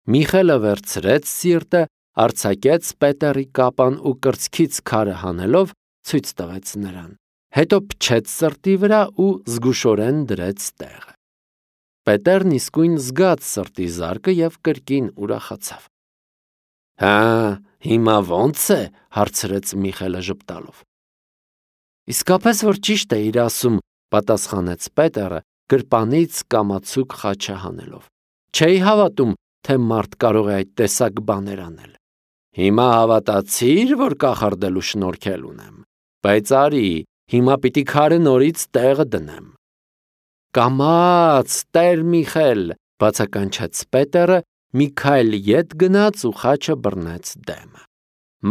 Միխելը վերցրեց սիրտը, արձակեց Պետերի կապան ու կրծքից քարը հանելով ցույց տվեց նրան։ Հետո փչեց սրտի վրա ու զգուշորեն դրեց տեղը։ Պետերն իսկույն զգաց սրտի զարկը և կրկին ուրախացավ։ Հա, հիմա ո՞նց է, հարցրեց Միխելը ժպտալով։ Իսկապես որ ճիշտ է իր ասում, պատասխանեց Պետերը, գրպանից կամացուկ խաչը հանելով։ Չէի հավատում, թե մարդ կարող է այդ տեսակ բաներ անել։ Հիմա հավատացի՞ր, որ կախարդելու շնորհքել ունեմ, բայց արի, հիմա պիտի քարը նորից տեղը դնեմ։ Կամաց, Տեր Միխել, բացականչեց Պետերը, մի քայլ ետ գնաց ու խաչը բռնեց դեմը։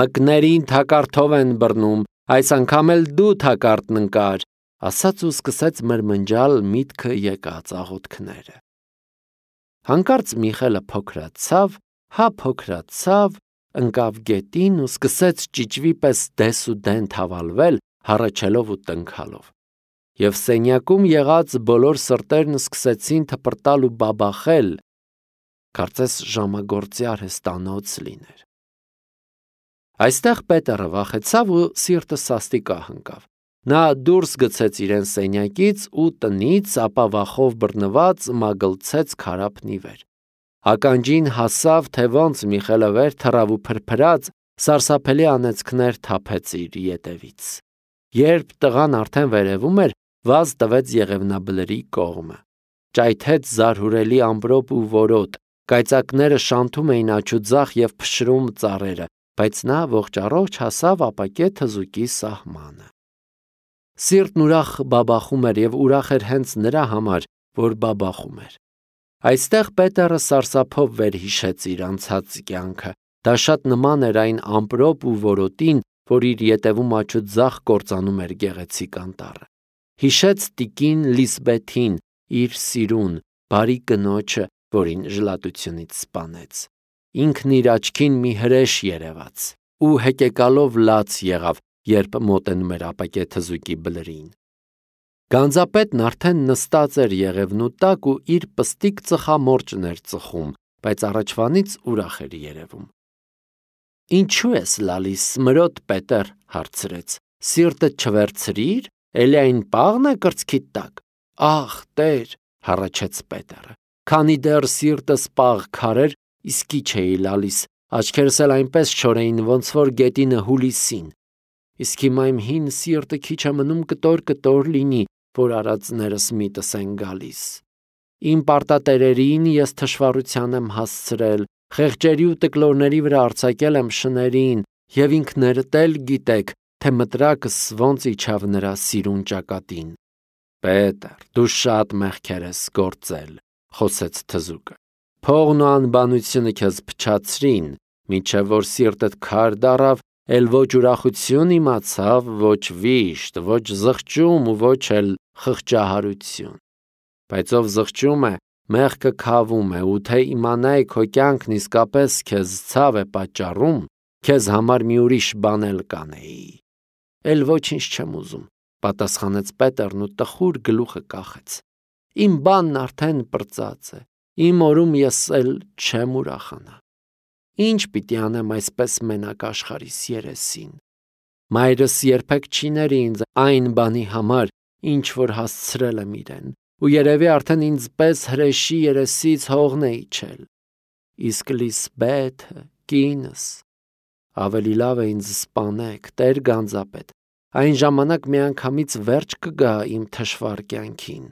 Մկներին թակարդով են բռնում, այս անգամ էլ դու թակարդն ընկար, ասաց ու սկսեց մրմնջալ միտքը եկած աղոթքները։ Հանկարծ Միխելը փոքրացավ, փոքրացավ, ընկավ գետին ու սկսեց ճիճվի պես դես ու դեն թավալվել, հառաչելով ու տնքալով։ Եվ սենյակում եղած բոլոր սրտերն սկսեցին թպրտալ ու բաբախել, կարծես ժամագործի արհեստանոց լիներ։ Այստեղ Պետերը վախեցավ ու սիրտը սաստիկահ ընկավ։ Նա դուրս գցեց իրեն սենյակից ու տնից, ապա վախով բռնված մագլցեց քարափն ի վեր։ Ականջին հասավ, թե ոնց Միխելը վեր թռավ ու փրփրած, սարսափելի անեծքներ թափեց իր ետևից։ Երբ տղան արդեն վերևում էր, վազ տվեց Եղևնաբլրի կողմը։ Ճայթեց զարհուրելի ամպրոպ ու որոտ, կայծակները շանթում էին աջուձախ և փշրում ծառերը, բայց նա ողջ առողջ հասավ ապակե թզուկի սահմանը։ Սիրտն ուրախ բաբախում էր և ուրախ էր հենց նրա համար, որ բաբախում էր։ Այստեղ Պետերը սարսափով վերհիշեց իր անցած կյանքը, դա շատ նման էր այն ամպրոպ ու որոտին, որ իր ետևում աջուձախ կործանում էր գեղեցիկ անտառը։ Հիշեց տիկին Լիսբեթին, իր սիրուն, բարի կնոջը, որին ժլատությունից սպանեց։ Ինքն իր աչքին մի հրեշ երևաց ու հեկեկալով լաց եղավ, երբ մոտենում էր ապակե թզուկի բլրին։ Գանձապետն արդեն նստած էր եղևնու տակ ու իր պստիկ ծխամորճն էր ծխում, բայց առաջվանից ուրախ էր երևում։ Ինչու ես լալիս, մրոտ Պետեր, հարցրեց, սիրտդ չվերցրիր, էլի այն պաղն է կրծքիդ տակ։ Ախ, Տեր, հառաչեց Պետերը, քանի դեռ սիրտս պաղ քարեր, իսկի չէի լալիս, աչքերս էլ այնպես չոր էին, ոնց որ գետինը հուլիսին։ Իսկ հիմա իմ հին սիրտը քիչ է մնում կտոր լինի, որ արածներս միտս են գալիս։ Իմ պարտատերերին ես թշվառության եմ հասցրել, խեղճերի ու տկլորների վրա արձակել եմ շներին, և ինքներդ էլ գիտեք, թե մտրակս ոնց իջավ նրա սիրուն ճակատին։ Պետեր, դու շատ մեղքեր ես գործել, խոսեց թզուկը։ Փողն ու անբանությունը քեզ փչացրին, մինչև որ սիրտդ քար դառավ, էլ ոչ ուրախություն իմացավ, ոչ վիշտ, ոչ զղջում ու ոչ էլ խղճահարություն։ Բայց ով զղջում է, մեղքը քավում է, ու թե իմանայի քո կյանքն իսկապես քեզ ցավ է պատճառում, քեզ համար մի ուրիշ բան էլ կանեի։ Էլ ոչինչ չեմ ուզում, պատասխանեց Պետերն ու տխուր գլուխը կախեց։ Իմ բանն արդեն պրծած է, իմ օրում ես էլ չեմ ուրախանա։ Ինչ պիտի անեմ այսպես մենակ աշխարհիս երեսին։ Մայրս երբեք չի ների ինձ այն բանի համար, ինչ որ հասցրել եմ իրեն, ու երևի արդեն ինձ պես հրեշի երեսից հողն է իջել։ Իսկ Լիսբեթը, կինս, ավելի լավ է ինձ սպանեք, Տեր գանձապետ, այն ժամանակ միանգամից վերջ կգա իմ թշվառ կյանքին։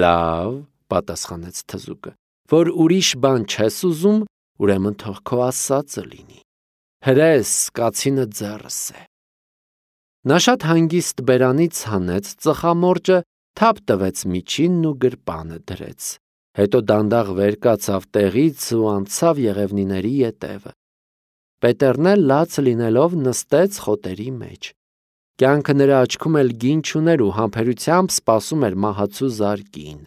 Լավ, պատասխանեց թզուկը, որ ուրիշ բան չես ուզում, ուրեմն թող քո ասածը լինի։ Հրես, կացինը ձեռս է։ Նա շատ հանգիստ բերանից հանեց ծխամորճը, թափ տվեց միջինն ու գրպանը դրեց։ Հետո դանդաղ վեր կացավ տեղից ու անցավ եղևնիների ետևը։ Պետերն էլ լաց լինելով նստեց խոտերի մեջ։ Կյանքը նրա աչքում էլ գին չուներ ու համբերությամբ սպասում էր մահացու զարկին։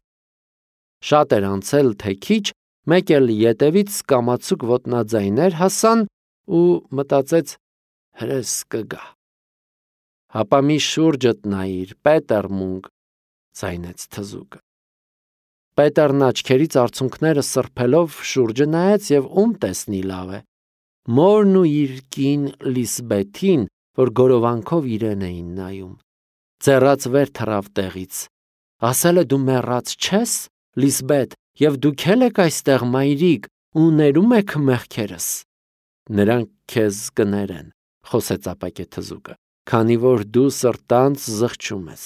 Շատ էր անցել, թե քիչ, մեկ էլ ետևից կամացուկ ոտնաձայներ հասան ու մտածեց հրես կգա։ Հապա մի շուրջդ նայիր, Պետեր մունք, ձայնեց թզուկը։ Պետերն աչքերից արցունքները սրբելով շուրջը նայեց եւ ում տեսնի լավ է։ Մորն ու իր կին Լիսբեթին, որ գորովանքով իրեն էին նայում։ Ձեռած վեր թռավ տեղից։ Ասել է դու մեռած չես, Լիսբեթ, եւ դուք էլ եք այստեղ մայրիկ ու ներում եք մեղքերս։ Նրանք քեզ կներեն, խոսեց ապակե թզուկը, քանի որ դու սրտանց զղջում ես,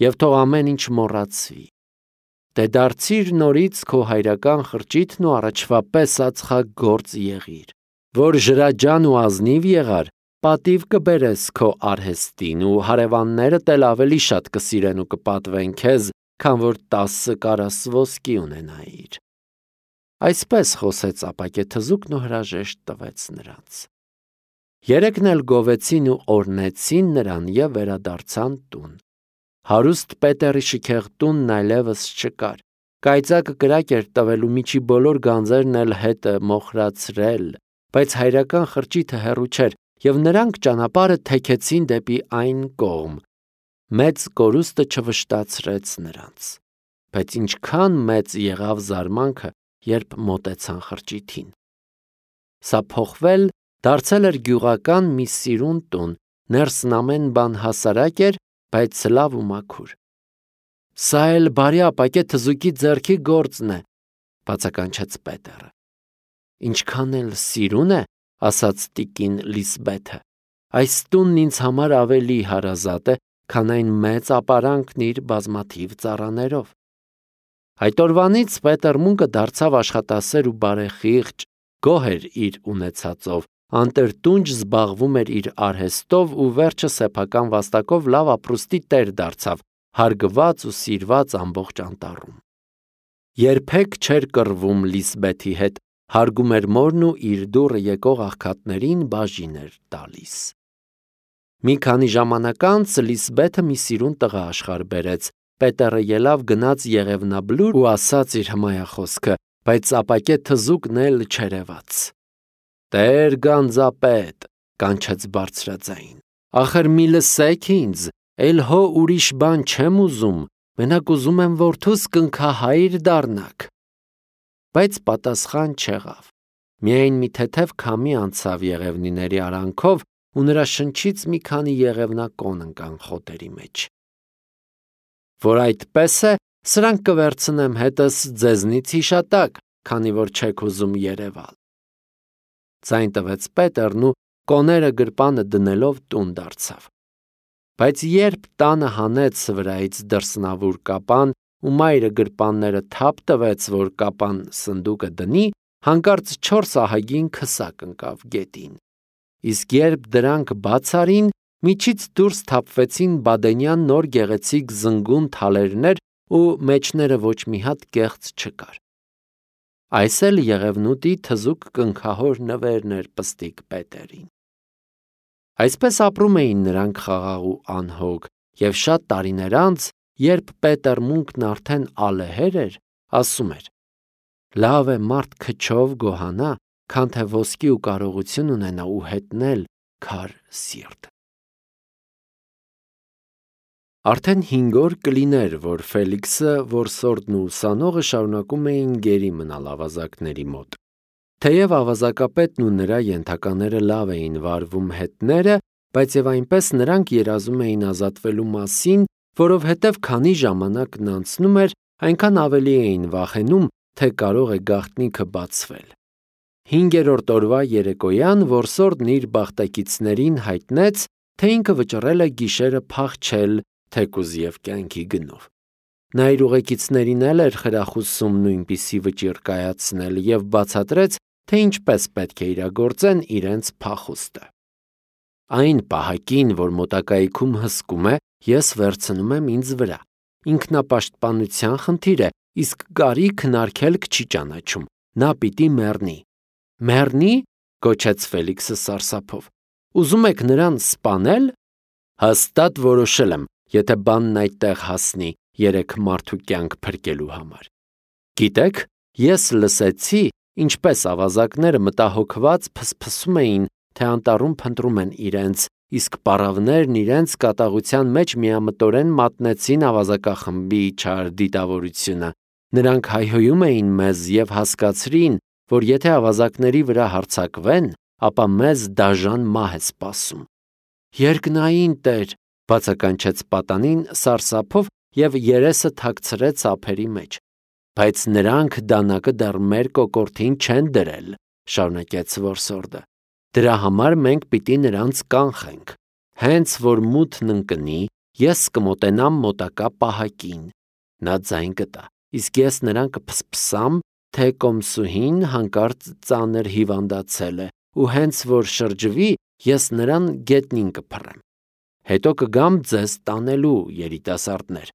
եւ թող ամեն ինչ մոռացվի։ Դե դարձիր նորից քո հայրական խրճիթն ու առաջվա պես ածխագործ եղիր, որ ժրաջան ու ազնիվ եղար, պատիվ կբերես քո արհեստին ու հարևաններդ էլ ավելի շատ կսիրեն ու կպատվեն քեզ, քան որ 10 կարաս ոսկի ունենայիր։ Այսպես խոսեց ապակե թզուկն ու հրաժեշտ տվեց նրանց։ Երեքն էլ գովեցին ու օրհնեցին նրան եւ վերադարձան տուն։ Հարուստ Պետերի շքեղ տունն այլևս չկար։ Կայծակը կրակ էր տվել ու միջի բոլոր գանձերն էլ հետը մոխրացրել, բայց հայրական խրճիթը հեռու չէր եւ նրանք ճանապարհը թեքեցին դեպի այն կողմ։ Մեծ կորուստը չվշտացրեց նրանց, բայց ինչքան մեծ եղավ զարմանքը, երբ մոտեցան խրճիթին։ Սա փոխվել դարձել էր գյուղական մի սիրուն տուն, ներսն ամեն բան հասարակ էր, բայց լավ ու մաքուր։ Սա էլ բարի ապակե թզուկի ձեռքի գործն է, բացականչեց Պետերը։ Ինչքան էլ սիրուն է, ասաց տիկին Լիսբեթը, այս տունն ինձ համար ավելի հարազատ է, քան այն մեծ ապարանքն իր բազմաթիվ ծառաներով։ Այդ օրվանից Պետերմունկը դարձավ աշխատասեր ու բարեխիղճ, գոհ էր իր ունեցածով, անտրտունջ զբաղվում էր իր արհեստով ու վերջը սեփական վաստակով լավ ապրուստի տեր դարձավ, հարգված ու սիրված ամբողջ անտառում։ Երբեք չէր կռվում Լիսբեթի հետ, հարգում էր մորն ու իր դուռը եկող աղքատներին բաժին էր տալիս։ Մի քանի ժամանակ անց Լիսբեթը մի սիրուն տղա աշխարհ բերեց։ Պետերը ելավ գնաց Եղևնաբլուր ու ասաց իր հմայախոսքը, բայց ապակե թզուկն էլ չերևաց։ Տեր գանձապետ, կանչեց բարձրաձայն, ախր մի լսեք ինձ, էլ հո ուրիշ բան չեմ ուզում, մենակ ուզում եմ որդուս կնքահայր դառնաք։ Բայց պատասխան չեղավ։ Միայն մի թեթև քամի անցավ եղևնիների արանքով ու նրա շնչից մի քանի եղևնակոն ընկան խոտերի մեջ։ Որ այդպես է, սրանք կվերցնեմ հետս ձեզնից հիշատակ, քանի որ չեք ուզում երևալ։ Ձայն տվեց Պետերն ու կոները գրպանը դնելով տուն դարձավ։ Բայց երբ տանը հանեց վրայից դրսնավուր կապան ու մայրը գրպանները թափ տվեց, որ կապան սնդուկը դնի, հանկարծ 4 ահագին քսակ ընկավ գետին։ Իսկ երբ դրանք բաց արին, միջից դուրս թափվեցին բադենյան նոր գեղեցիկ զնգուն թալերներ ու մեջները ոչ մի հատ կեղծ չկար։ Այս էլ Եղևնուտի թզուկ կնքահոր նվերն էր պստիկ Պետերին։ Այսպես ապրում էին նրանք խաղաղ ու անհոգ, եւ շատ տարիներ անց, երբ Պետերմունկն արդեն ալեհեր էր, ասում էր. լավ է մարդ քչով գոհանա, քան թե ոսկի ու կարողություն ունենա ու հետնել քար սիրտ։ Արդեն 5 օր կլիներ, որ Ֆելիքսը, որսորդն ու ուսանողը շարունակում էին գերի մնալ ավազակների մոտ։ Թեև ավազակապետն ու նրա ենթակաները լավ էին վարվում հետները, բայց եւ այնպես նրանք երազում էին ազատվելու մասին, որովհետեւ քանի ժամանակն անցնում էր, այնքան ավելի էին վախենում, թե կարող է գաղտնիքը բացվել։ 5-րդ օրվա երեկոյան որսորդն իր բախտակիցներին հայտնեց, թե ինքը վճռել է գիշերը փախչել թեկուզ եւ կյանքի գնով։ Նա իր ուղեկիցներին էր խրախուսում նույնպիսի վճիռ կայացնել եւ բացատրեց, թե ինչպես պետք է իրագործեն իրենց փախուստը։ Այն պահակին, որ մոտակայքում հսկում է, ես վերցնում եմ ինձ վրա։ Ինքնապաշտպանության խնդիր է, իսկ կարի քնարքելք չի ճանաչում։ Նա պիտի մեռնի։ Մեռնի, գոչեց Ֆելիքսը սարսափով։ Ուզում եք նրան սպանել։ Հաստատ որոշել եմ, եթե բանն այդտեղ հասնի 3 մարդու կյանք փրկելու համար։ Գիտեք, ես լսեցի, ինչպես ավազակները մտահոգված փսփսում էին, թե անտառում փնտրում են իրենց, իսկ պառավներն իրենց կատաղության մեջ միամտորեն մատնեցին ավազակախմբի չար դիտավորությունը։ Նրանք հայհոյում էին մեզ և հասկացրին, որ եթե ավազակների վրա հարձակվեն, ապա մեզ դաժան մահ է սպասում։ Երկնային Տեր, բացականչեց պատանին սարսափով և երեսը թաքցրեց ափերի մեջ։ Բայց նրանք դանակը դեռ մեր կոկորդին չեն դրել, շարունակեց որսորդը։ Դրա համար մենք պիտի նրանց կանխենք։ Հենց որ մութն ընկնի, ես կմոտենամ մոտակա պահակին։ Նա ձայն կտա, իսկ ես նրան կփսփսամ, թե կոմսուհին հանկարծ ծանր հիվանդացել է, ու հենց որ շրջվի, ես նրան գետնին կփռեմ։ Հետո կգամ ձեզ տանելու, երիտասարդներ։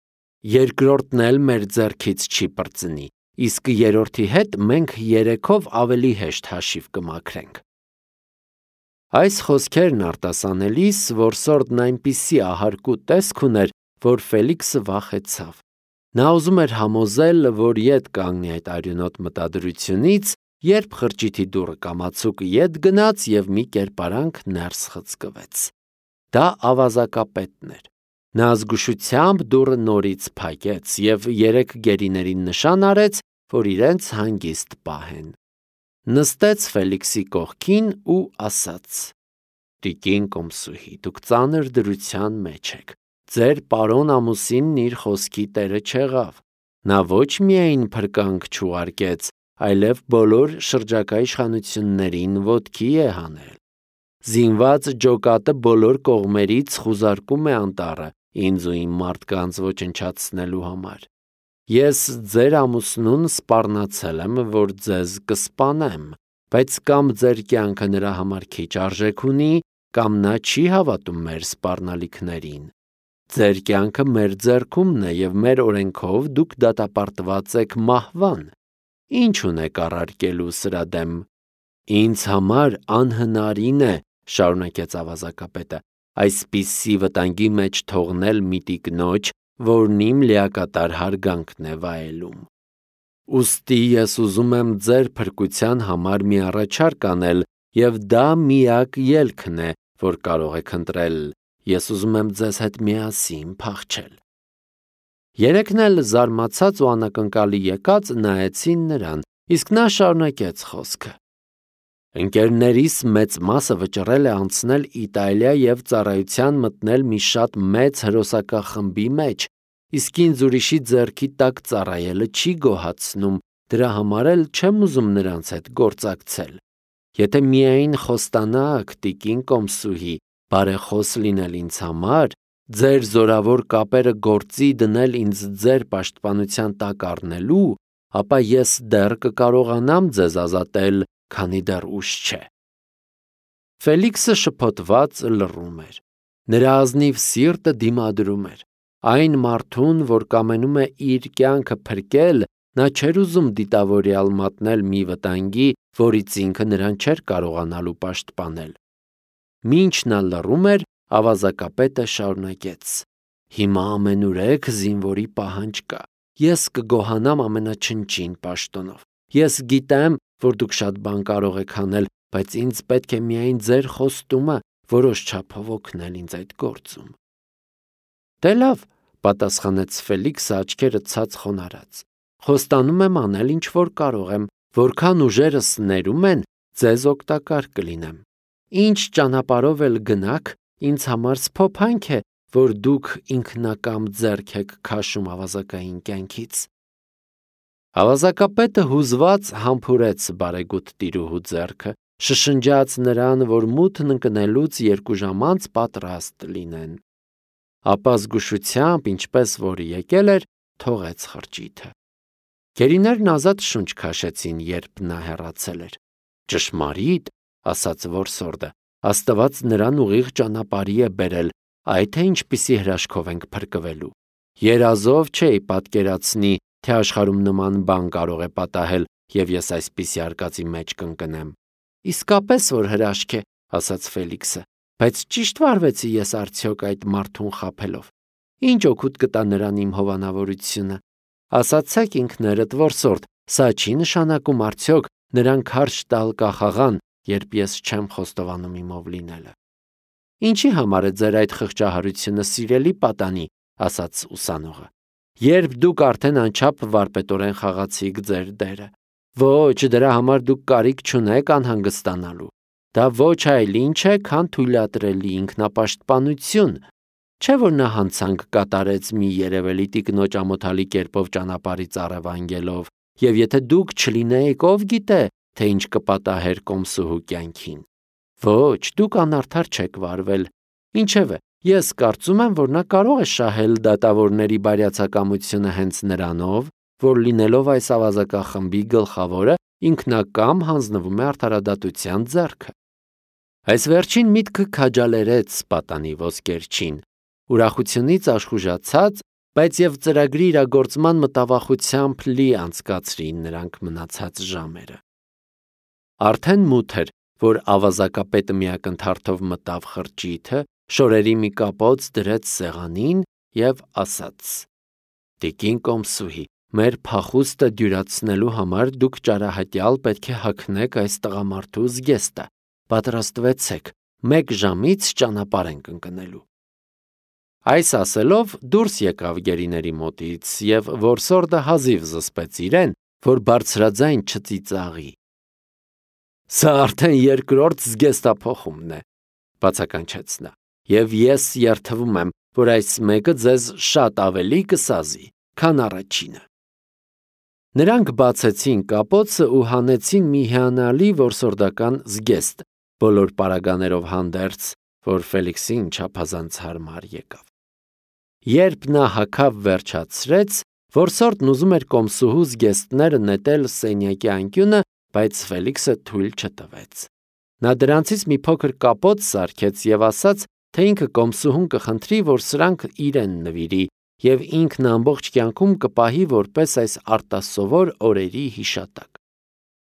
Երկրորդն էլ մեր ձեռքից չի պրծնի, իսկ երրորդի հետ մենք երեքով ավելի հեշտ հաշիվ կմաքրենք։ Այս խոսքերն արտասանելիս որսորդն այնպիսի ահարկու տեսք ուներ, որ Ֆելիքսը վախեցավ։ Նա ուզում էր համոզել, որ ետ կանգնի այդ արյունոտ մտադրությունից, երբ խրճիթի դուռը կամացուկ ետ գնաց և մի կերպարանք ներս խցկվեց։ Դա ավազակապետն էր։ Նա զգուշությամբ դուռը նորից փակեց և երեք գերիներին նշան արեց, որ իրենց հանգիստ պահեն։ Նստեց Ֆելիքսի կողքին ու ասաց. «Տիկին կոմսուհի, դուք ծանր դրության մեջ եք։ Ձեր պարոն ամուսինն իր խոսքի տերը չեղավ։ Նա ոչ միայն փրկանք չուղարկեց, այլև բոլոր շրջակա իշխանություններին ոտքի է հանել։ Զինված ջոկատը բոլոր կողմերից խուզարկում է անտառը ինձ ու իմ մարդկանց ոչնչացնելու համար։ Ես ձեր ամուսնուն սպառնացել եմ, որ ձեզ կսպանեմ, բայց կամ ձեր կյանքը նրա համար քիչ արժեք ունի, կամ նա չի հավատում մեր սպառնալիքներին։ Ձեր կյանքը մեր ձեռքումն է և մեր օրենքով դուք դատապարտված եք մահվան։ Ինչ ունեք առարկելու սրա դեմ։ Ինձ համար անհնարին է, շարունակեց ավազակապետը, այսպիսի վտանգի մեջ թողնել մի տիկնոջ, որն իմ լիակատար հարգանքն է վայելում։ Ուստի ես ուզում եմ ձեր փրկության համար մի առաջարկ անել, և դա միակ ելքն է, որ կարող եք ընտրել։ Ես ուզում եմ ձեզ հետ միասին փախչել։ Երեքն էլ զարմացած ու անակնկալի եկած նայեցին նրան, իսկ նա շարունակեց խոսքը. Ընկերներիս մեծ մասը վճռել է անցնել Իտալիա և ծառայության մտնել մի շատ մեծ հրոսակախմբի մեջ, իսկ ինձ ուրիշի ձեռքի տակ ծառայելը չի գոհացնում, դրա համար էլ չեմ ուզում նրանց հետ գործակցել։ Եթե միայն խոստանաք, տիկին կոմսուհի, բարեխոս լինել ինձ համար, ձեր զորավոր կապերը գործի դնել ինձ ձեր պաշտպանության տակ առնելու, ապա ես դեռ կկարողանամ ձեզ ազատել, քանի դեռ ուշ չէ։ Ֆելիքսը շփոթված լռում էր։ Նրա ազնիվ սիրտը դիմադրում էր։ Այն մարդուն, որ կամենում է իր կյանքը փրկել, նա չէր ուզում դիտավորյալ մատնել մի վտանգի, որից ինքը նրան չէր կարողանալու պաշտպանել։ Մինչ նա լռում էր, ավազակապետը շարունակեց. Հիմա ամենուրեք զինվորի պահանջ կա։ Ես կգոհանամ ամենաչնչին պաշտոնով։ Ես գիտեմ, որ դուք շատ բան կարող եք անել, բայց ինձ պետք է միայն ձեր խոստումը որոշ չափով օգնել ինձ այդ գործում։ Դե լավ, պատասխանեց Ֆելիքսը աչքերը ցած խոնարհած։ Խոստանում եմ անել ինչ որ կարող եմ, որքան ուժերս ներում են, ձեզ օգտակար կլինեմ։ Ինչ ճանապարհով էլ գնաք, ինձ համար սփոփանք է, որ դուք ինքնակամ ձեռք եք քաշում ավազակային կյանքից։ Ավազակապետը հուզված համբուրեց բարեգութ տիրուհու ձեռքը, շշնջաց նրան, որ մութն ընկնելուց 2 ժամ անց պատրաստ լինեն։ Ապա զգուշությամբ, ինչպես որ եկել էր, թողեց խրճիթը։ Գերիներն ազատ շունչ քաշեցին, երբ նա հեռացել էր։ Ճշմարիտ, ասաց որսորդը, Աստված նրան ուղիղ ճանապարհի է բերել, այ թե ինչպիսի հրաշքով ենք փրկվելու։ Երազով չէի պատկերացնի, թե աշխարհում նման բան կարող է պատահել, և ես այսպիսի արկածի մեջ կընկնեմ։ Իսկապես որ հրաշք է, ասաց Ֆելիքսը, բայց ճիշտ վարվեցի ես արդյոք այդ մարդուն խաբելով։ Ինչ օգուտ կտա նրան իմ հովանավորությունը։ Ասացեք ինքներդ, որսորդ, սա չի նշանակում արդյոք նրան քարշ տալ կախաղան, երբ ես չեմ խոստովանում իմով լինելը։ Ինչի համար է ձեր այդ խղճահարությունը, սիրելի պատանի, ասաց ուսանողը։ երբ դուք արդեն անչափ վարպետորեն խաղացիք ձեր դերը։ Ոչ, դրա համար դուք կարիք չունեք անհանգստանալու։ Դա ոչ այլ ինչ է, քան թույլատրելի ինքնապաշտպանություն։ Չէ՞ որ նա հանցանք կատարեց մի երևելի տիկնոջ ամոթալի կերպով ճանապարհից առևանգելով, եւ եթե դուք չլինեիք, ով գիտե, թե ինչ կպատահեր Կոմսուհու կյանքին։ Ոչ, դուք անարդար չեք վարվել։ Ինչևէ, ես կարծում եմ, որ նա կարող է շահել դատավորների բարյացակամությունը հենց նրանով, որ լինելով այս ավազակախմբի գլխավորը, ինքնակամ հանձնվում է արդարադատության ձեռքը։ Այս վերջին միտքը քաջալերեց պատանի ոսկերչին, ուրախությունից աշխուժացած, բայց եւ ծրագրի իրագործման մտավախությամբ լի անցկացրին նրանք մնացած ժամերը։ Արդեն մութ էր, որ ավազակապետը միակնթարթով մտավ խրճիթը, շորերի մի կապոց դրեց սեղանին եւ ասաց. «Տիկին Կոմսուհի, մեր փախուստը դյուրացնելու համար դուք ճարահատյալ պետք է հագնեք այս տղամարդու զգեստը։ Պատրաստվեցեք, 1 ժամից ճանապարհ ենք ընկնելու»։ Այս ասելով դուրս եկավ գերիների մոտից եւ որսորդը հազիվ զսպեց իրեն, որ բարձրաձայն չծիծաղի։ «Սա արդեն երկրորդ զգեստափոխումն է», բացականչեց նա, «եւ ես երդվում եմ, որ այս մեկը ձեզ շատ ավելի կսազի, քան առաջինը»։ Նրանք բացեցին կապոցը ու հանեցին մի հիանալի որսորդական զգեստ, բոլոր պարագաներով հանդերձ, որ Ֆելիքսին չափազանց հարմար եկավ։ Երբ նա հագավ վերջացրեց, որսորդն ուզում էր Կոմսուհու զգեստները նետել սենյակի անկյունը, բայց Ֆելիքսը թույլ չտվեց։ Նա դրանցից մի փոքր կապոց սարքեց եւ ասաց, թե ինքը Կոմսուհուն կխնդրի, որ սրանք իրեն նվիրի, եւ ինքն ամբողջ կյանքում կպահի որպես այս արտասովոր օրերի հիշատակ։